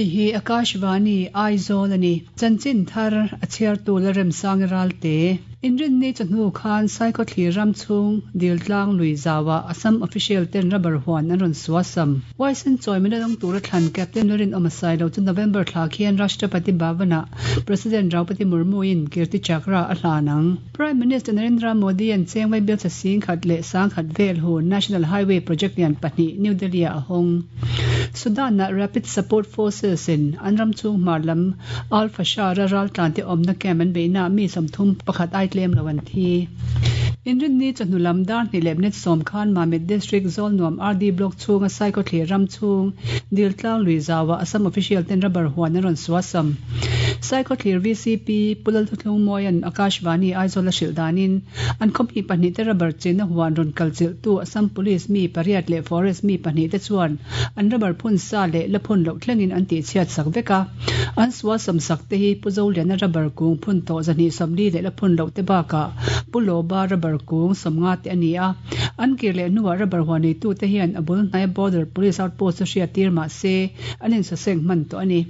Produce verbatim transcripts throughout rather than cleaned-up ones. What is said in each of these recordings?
Hei hi Akashvani Aizawl ani. Chanchin thar a chhiartu Lalremsangi Ralte. Inrinni chawhnu khan Saikhawthlir ram chhung Diltlang lui zawa Assam official ten rubber huan an rawn suasam. Huaisen chawimena dawng tura thlan Captain Lalrinawma Sailo chu November thla khian Rashtrapati Bhavana President Draupadi Murmu in Kirti Chakra a hlan ang. Prime Minister Narendra Modi an chengwai bial sing khat leh sang khat vel hu National Highway Project lian pahnih New Delhi a hawng. Sudan na Rapid Support Forces in an ram chung hmar lam Al Fashar a ral tlan te awmna camp an beihna mi sawmthum pakhat ai tlem lo an thi. Inrinni chawhnu lam dar hnih leh minute sawm khan Mamit District Zawlnuam R D Block chhunga Saikhawthlir ram chung Diltlang lui zawa Assam official ten rubber huan an rawn suasam. Saikhawthlir V C P Pulal Thuthlung Mawian Akashvani Aizawl a hrilh danin an khawmi pahnih te rubber chenna huan rawn kal chilh tu Assam Police mi pariat leh Forest mi pahnih te chuan an rubber phun sa leh la phun loh thlengin an tih chhiat sak vek a. An suasam sak te hi Pu Zoliana rubber kung phun tawh zahnih sawmli leh la phun loh te bakah Pu Loba rubber kung sawmnga te ani a. An kir leh hnuah rubber huan neitu te hian a bul hnai border police outpost chu hriat tir mah se an insaseng hman tawh ani.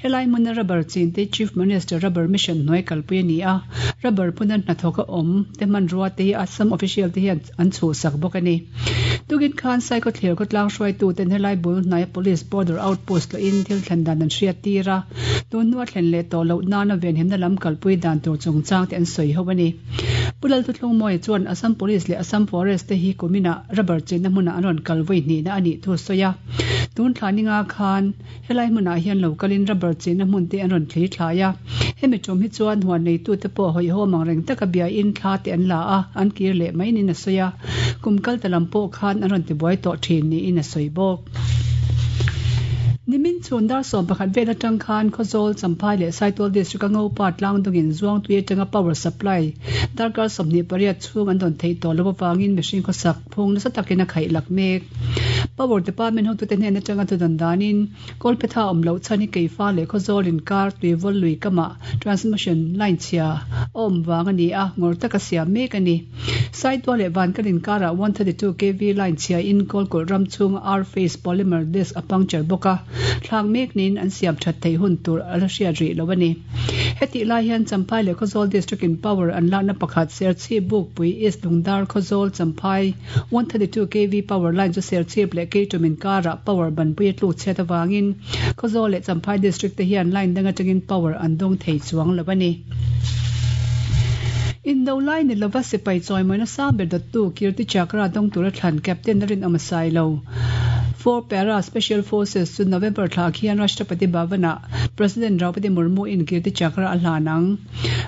Helai hmuna rubber chin te Chief Minister Rubber Mission hnuai kalpui ani a. Rubber phun an hnathawk a awm te hmanrua te hi Assam official te hian an chhuhsak bawk ani. Tugin khan Saikhawthlir khawtlang hruaitu ten helai bul hnai police border outpost loin thil thlen dan an hriat tir a. Tun hnu a thlen leh tawh loh nana venhimna lam kalpui dan tur chungchang te an sawi ho ani. Pulal Thuthlung Mawi chuan Assam Police leh Assam Forest te hi kumina rubber chenna hmunah an rawn kal vawi hnihna ani thu sawi a. Tun thla ninga khan helai hmunah hian lokalin rubber chenna hmun te an rawn thli thlai a. Hemi tum hi chuan huan neitu te pawh hawi ho mang reng taka bia in thla te an la a, an kir leh mai nin a sawi a. Kum kal ta lam pawh khan an rawn tibuai tawh thin niin a sawi bawk. Nimin chhun dar sawm pakhat vel atang khan Khawzawl Champhai leh Saitual District a ngopa tlangdungin zuang tui atanga power supply darkar sawmhnih pariat chhung an dawn theih tawh lo awangin mihring khawsak phung nasa takin a khaih lak mek. Power Department hotu te hnen atanga thudan danin Kolpetha awm loh chhan hi Keifa leh Khawzawl inkar tuivawl lui kama transmission line chhia a awm wang ani a, ngawr taka siam mek ani. Saitual leh Vankal inkarah one thirty two K V line chhia in Kawlkulh ram chhunga R phase polymer disc a puncture bawk a, thlak mek niin an siam that thei hun tur a la hriat rih lo ani. Hetih lai hian Champhai leh Khawzawl District in power an lakna pakhat Serchhip Bukpui East Lungdar Khawzawl Champhai one thirty two K V power line chu Serchhip leh Keitum inkarah power banpui a tluk chhiat awangin Khawzawl leh Champhai District te hian line dang atangin power an dawng thei chuang lo ani. Indo lai ni lova sipai chawimawina sang ber dawttu Kirti Chakra dawng tura thlan Captain Lalrinawma Sailo. Four Para Special Forces chu November thla khian Rashtrapati Bhavana President Draupadi Murmu in Kirti Chakra a hlan ang.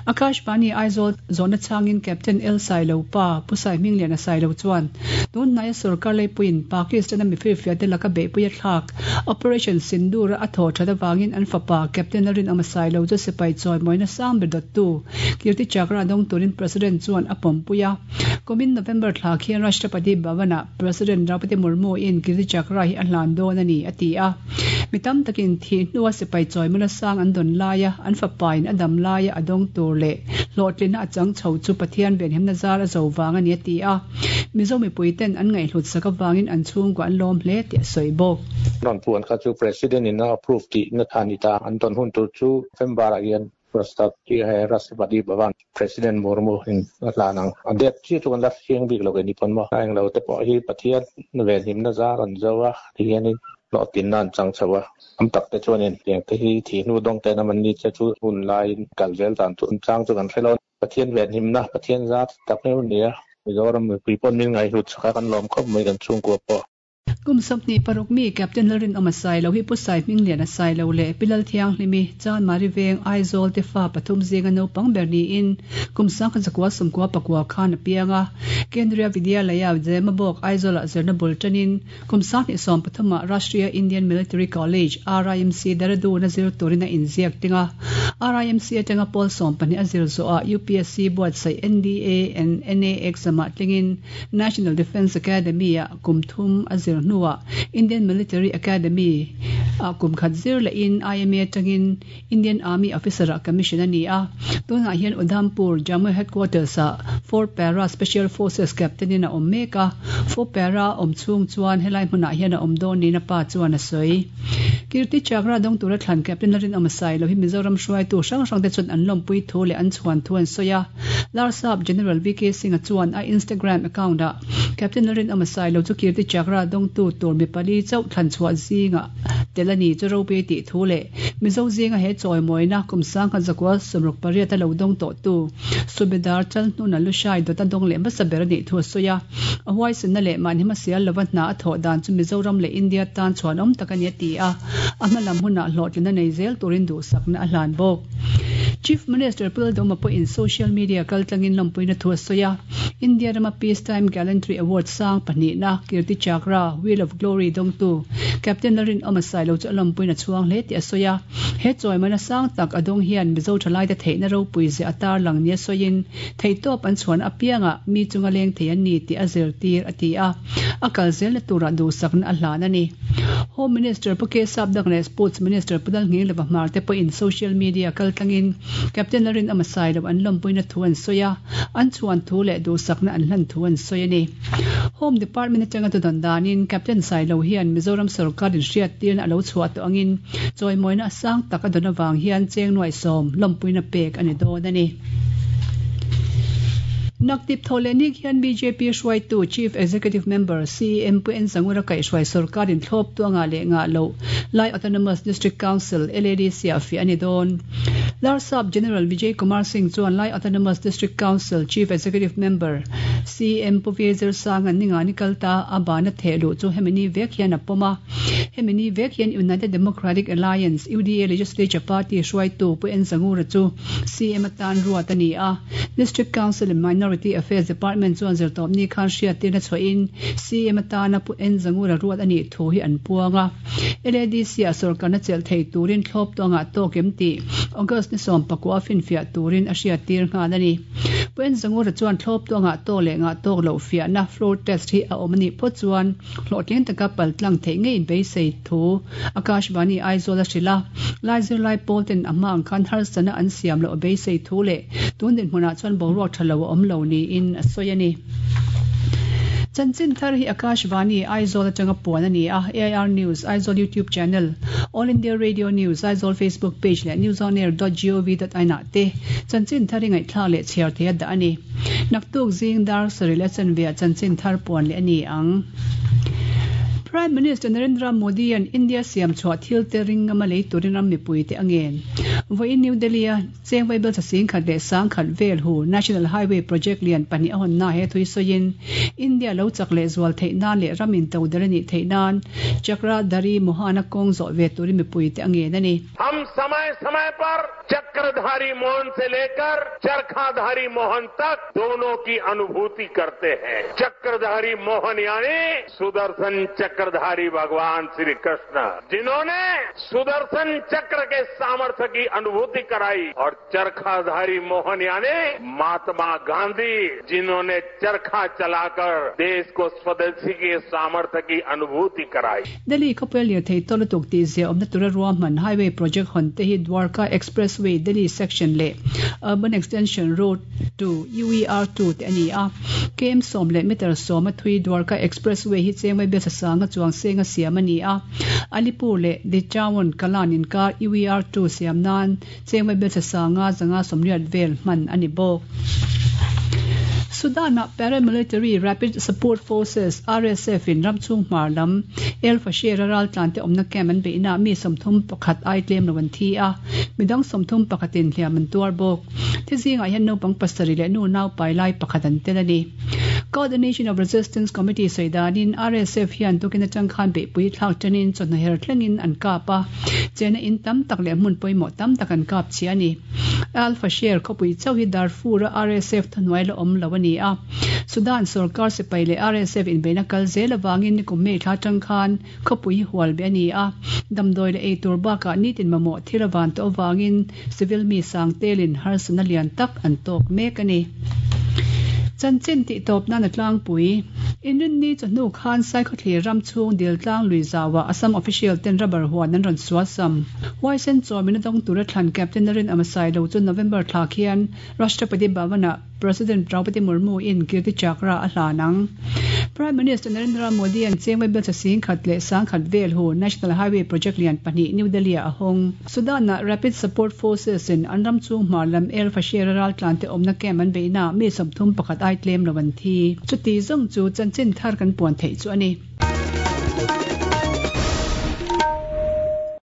Akashvani Aizawl zawhna changin Captain L Sailo pa Pu Sai Hminglian a Sailo chuan tun hnai a sarkar leipuiin Pakistan a mifirfia te laka beihpui a thlak Operation Sindoor a thaw that awangin an fapa Captain Lalrinawma Sailo chu sipai chawimawina sang ber dawttu Kirti Chakra dawng turin President chuan a pawmpui a. Kumin November thla khian Rashtrapati Bhavana President Draupadi Murmu in Kirti Chakra hi a hlan dawn ani a ti a. Mi tam takin thi hnuah sipai chawimawna sang an dawn laia an fapa in a dam laia a dawng tur leh hlawhtlina a chang chho chu Pathian venhimna zar a zo wang ani a ti a. Mizo mipui ten an ngaihhlut sak awangin an chhungkua an lawm hle tih a sawi bawk. Ron puan kha chu President in a approve tih na ani ta an dawn hun tur chu November ah hian Rashtrapati he Rashtrapati Bhavan President Murmu in a hlan ang. A det chi chu kan la hriang bik lo ke ni pawn maw. A englo te pawh hi Pathian venhimna zar an zo a, ti hianin hlawhtinna an chang chho a. Am tak te chuanin tiang te hi thi hnu dawng te na man ni che chu hun laiin kal zel dan chu an chang chu kan hre lo. Pathian venhimna, Pathian zar tak mai ni a. Mizoram mipui pawn min ngaihhlut saka kan lawm khawp mai kan chhungkua pawh. Kum sawmhnih paruk mi Captain Lalrinawma Sailo hi Pu Sai Hminglian a Sailo leh Pilal Thianghlimi Chan Mari Veng Aizawl te fa pathum zinga naupang ber niin kum sangkhat zakua sawmkua pakua khan a piang a. Kendriya Vidyalaya Zemabawk Aizawlah zirna bul tanin kum sanghnih sawm pathumah Rashtriya Indian Military College R I M C Dehradun a zir turin a inziak ting a. R I M C atanga pawl sawm pahnih a zir zawhah U P S C buatsaih N D A and N A exam ah tlingin National Defence Academy ah kum thum a zir hnuah Indian Military Academy a kum khat zir leh in I M A atangin Indian Army Officer ah commission a ni a. Tunah hian Udhampur, Jammu Headquarters ah four Para Special Forces Captain in a awm mek a. Four Para awm chhung chuan helai hmunah hian a awm dawn niin a pa chuan a sawi. Kirti Chakra dawng tura thlan Captain Lalrinawma Sailo hi Mizoram hruaitu hrang hrang te chuan an lawmpui thu leh an chhuan thu an sawi a. Larsap General V K Singh-a chuan a Instagram account ah Captain Lalrinawma Sailo chu Kirti Chakra dawngtu tur mi pali chauh thlan chhuah zingah tel a ni chu ropui tih thu leh Mizo zinga he chawimawina kum sangkhat zakua sawmruk pariat a lo dawng tawh tu Subedar Chalhnuna Lushai dawt a dawng leh hmasa ber a nih thu a sawi a. A huaisenna leh mahni hmasial lova hna a thawh dan chu Mizoram leh India tan chhuan awm tak a ni a ti a. A hma lam hunah hlawhtlin a nei zel turin duhsakna a hlan bawk. Chief Minister Pu Lalduhoma pawhin social media kaltlangin lawmpuina thu a sawi a. India rama Peace Time Gallantry Award sang pahnihna Kirti Chakra, Wheel of Glory dawngtu Captain Lalrinawma Sailo chu a lawmpuina chhuang hle tih a sawi a. He chawimawina sang tak a dawng hian Mizo thalaite theihna ropui zia a tarlang nia sawiin theihtawp an chhuan apiangah mi chunga leng thei an ni tih a zirtir a ti a. A kal zelna turah duhsakna a hlan a ni. Home Minister Pu K Sapdang leh Sports Minister Pu Lalngeng Lova Hmar te pawhin social media kaltlangin Captain Lalrinawma Sailo an lawmpuina thu an sawi a, an chhuan thu leh duhsakna an hlan thu an sawi a ni. Home Department atanga tudawn danin Captain Sailo hian Mizoram sarkar inhriat tirna a lo chhuah tawh angin chawimawina a sang tak a dawn avang hian cheng nuai sawm lawmpuina pek a ni dawn a ni. Naktip thaw leh nik hian B J P hruaitu Chief Executive Member C E M Pu N Zangura kaihhruai sarkar inthlawp tuanga leh ngah loh Lai Autonomous District Council, L A D C ah fiah a ni dawn. Larsap General Vijay Kumar Singh chuan Lai Autonomous District Council Chief Executive Member C E M Pu V Zirsang an ninga ni kal ta a bana theh luh chu hemi ni vek hian a pawm a. Hemi ni vek hian United Democratic Alliance, U D A, Legislature Party hruaitu Pu N Zangura chu C E M atan ruat a ni a. District Council and Minority Affairs Department chuan zirtawp ni khan hriat tirna chhuahin C E M atana Pu N Zangura ruat a nih thu hi an puang a. L A D C ah sarkarna chelh thei turin thlawp tuangah tawk em tih August ni sawm pakua finfiah turin a hriat tir nghal a ni. Pu N Zangura chuan thlawp tuangah tawk leh ngah tawk loh fiahna floor test hi a awm a nih phawt chuan hlawhtling taka paltlang theih ngei beisei thu Akashvani Aizawl a hrilh a. Lai zirlai pawl ten a hma ang khan harsana an siam loh a beisei thu leh tun dinhmunah chuan boruak tha lo a awm lo niin a sawi a ni. Chanchin thar hi Akashvani Aizawl atanga puan a ni a. A I R News, Aizawl YouTube channel, All India Radio News, Aizawl Facebook page leh newsonair dot gov dot in ah te chanchin thar hi ngaihthlak leh chhiar thei a dah a ni. Naktuk zing dar sarih leh chanveah chanchin thar puan leh a ni ang. Prime Minister Narendra Modi an India siam chhuah thil te ringama lei turin ram mipui te a ngen. Vawiin New Delhi a cheng vaibel sasing khat leh sang khat vel hu National Highway Project lian pahnih a hawnna he thui sawiin India lo chak leh zual theih nan leh ram in to der a nih theih nan Chakradhari Mohana kawng zawh ve turin mipui te a ngen a ni. Hum samay samay par Chakradhari Mohan se lekar Charkhadhari Mohan tak dono ki anubhuti karte hain. Chakradhari Mohan yani Sudarshan Chakradhari Bhagwan Shri Krishna, जिन्होंने सुदर्शन चक्र के सामर्थ्य की अनुभूति कराई, और चरखाधारी मोहन यानी महात्मा गांधी, जिन्होंने चरखा चलाकर देश को स्वदेशी के सामर्थ्य की अनुभूति कराई. Delhi khawpui lirthei tawlatuk tih zia awmna tura ruahman Highway Project hawn te hi Dwarka Expressway Delhi Section leh Urban Extension Road two U E R two te a ni a. K M sawm leh meter sawm a thui Dwarka Expressway hi chengwai bel sasanga chuang senga siam a ni a. Alipur leh Dichawon Kalan inkar U E R two siam nan chengwai bel sasanga zanga sawmriat vel hman a ni bawk. Sudan ah Paramilitary Rapid Support Forces R S F in ramchhung hmar lam El Fasher ral tlan te awmna camp an beihna mi sawmthum pakhat ai tlem lo an thi a. Midang sawmthum pakhatin hliam an tuar bawk. Thizingah hian naupang pasarih leh nu nau pai lai pakhat an tel a ni. Coordination of Resistance Committee sawidanin R S F hian tukin atang khan beihpui thlak tanin chawhna her thlengin an kap a. Chena in tam tak leh hmun pawimawh tam tak an kap chi a ni. Al Fasher khawpui chauh hi Darfur a R S F thuhnuai la awm lo a ni a. Sudan sarkar sipai leh R S F inbeihna kal zel awangin nikum mei thla tang khan khawpui hi hual be a ni a. Damdawi leh ei tur bakah nitin mamawh thil awan tawh awangin civil mi sang telin harsana lian tak an tawk mek a ni. Chanchin tih tawp nan a tlangpui. Inrinni chawhnu khan Saikhawthlir ram chhung Diltlang lui zauah Assam official ten rubber huan an rawn suasam. Huaisen chawmina dawng tura thlan Captain Lalrinawma Sailo chu November thla khian Rashtrapati Bhavan-ah President Draupadi Murmu in Kirti Chakra a hlan ang. Prime Minister Narendra Modi an chengwe bel cha sing khat leh sang khat vel hu National Highway Project lian pahnih New Delhi a hawng. Sudan-ah Rapid Support Forces in an ram chung hmar lam El Fasher ral tlan te awmna camp an beihna mi sawmthum pakhat ai tlem lo an thi. Chuti zawng chu chanchin thar kan puan theih chu a ni.